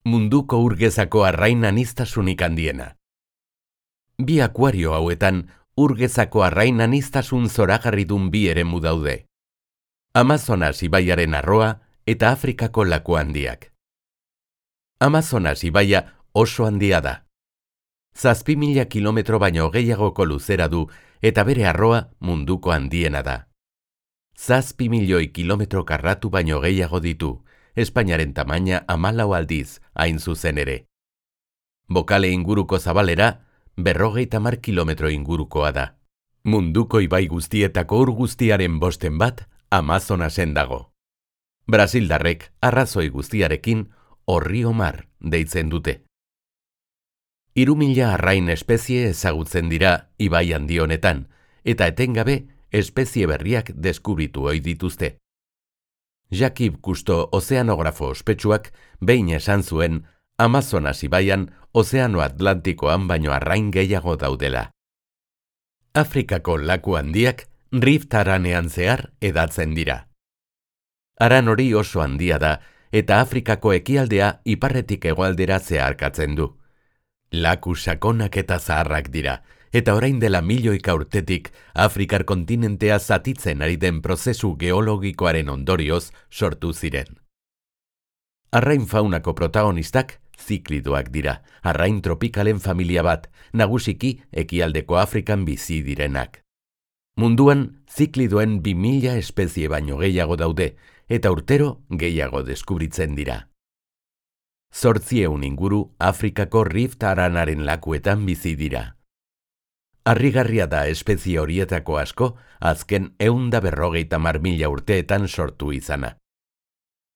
Munduko urgezako arrain aniztasunik handiena. Bi akuario hauetan urgezako arrain aniztasun zoragarridun bi eremu daude. Amazonas ibaiaren arroa eta Afrikako laku handiak. Amazonas ibaia oso handia da. 7.000 kilometro baino gehiagoko luzera du eta bere arroa munduko handiena da. 7.000.000 kilometro karratu baino gehiago ditu, Espainiaren tamaina 14 aldiz, hain zuzen ere. Bokale inguruko zabalera, 50 kilometro ingurukoa da. Munduko ibai guztietako ur guztiaren 5% Amazonasen dago. Brasildarrek arrazoi guztiarekin Orrio Mar deitzen dute. 3.000 arrain espezie ezagutzen dira ibai handi honetan, eta etengabe espezie berriak deskubritu ohi dituzte. Jacques Cousteau ozeanografo ospetsuak behin esan zuen Amazonas ibaian Ozeano Atlantikoan baino arrain gehiago daudela. Afrikako laku handiak Rift haranean zehar edatzen dira. Haran hori oso handia da eta Afrikako ekialdea iparretik hegoaldera zeharkatzen du. Laku sakonak eta zaharrak dira, eta orain dela milioika urtetik Afrikar kontinentea zatitzen ari den prozesu geologikoaren ondorioz sortu ziren. Arrain faunako protagonistak ziklidoak dira, arrain tropikalen familia bat, nagusiki ekialdeko Afrikan bizi direnak. Munduan ziklidoen 2.000 espezie baino gehiago daude, eta urtero gehiago deskubritzen dira. 800 inguru Afrikako Rift haranaren lakuetan bizi dira. Harrigarria da espezie horietako asko azken 150.000 urteetan sortu izana.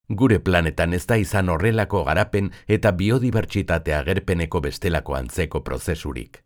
Gure planetan ez da izan horrelako garapen eta biodibertsitate agerpeneko bestelako antzeko prozesurik.